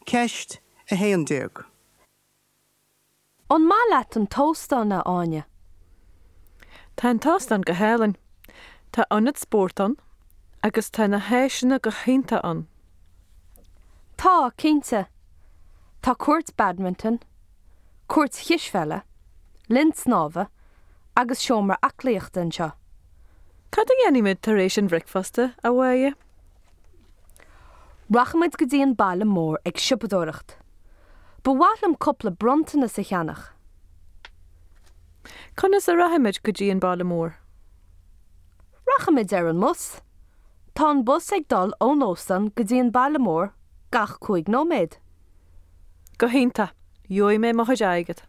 Ceist 11. An maith leat an t-óstán, a Áine? Tá an t-óstán go hálainn. Tá ionad spóirt ann agus tá na háiseanna go hiontach ann. Tá, cinnte. Tá cúirt badminton, cúirt chispheile, linn snámha agus seomra aclaíochta anseo. Cad a dhéanfaimid tar éis an bhricfeasta, a Mháire? Rachaimid go dtí an baile mór ag siopadóireacht. Ba mhaith liom cúpla bronntanas a cheannach. Conas a rachaimid go dtí an baile mór? Rachaimid ar an mbus. Tá an bus ag dul ón óstán go dtí an baile mór gach 5 nóiméad. Go hiontach! Gheobhaidh mé mo chuid airgid.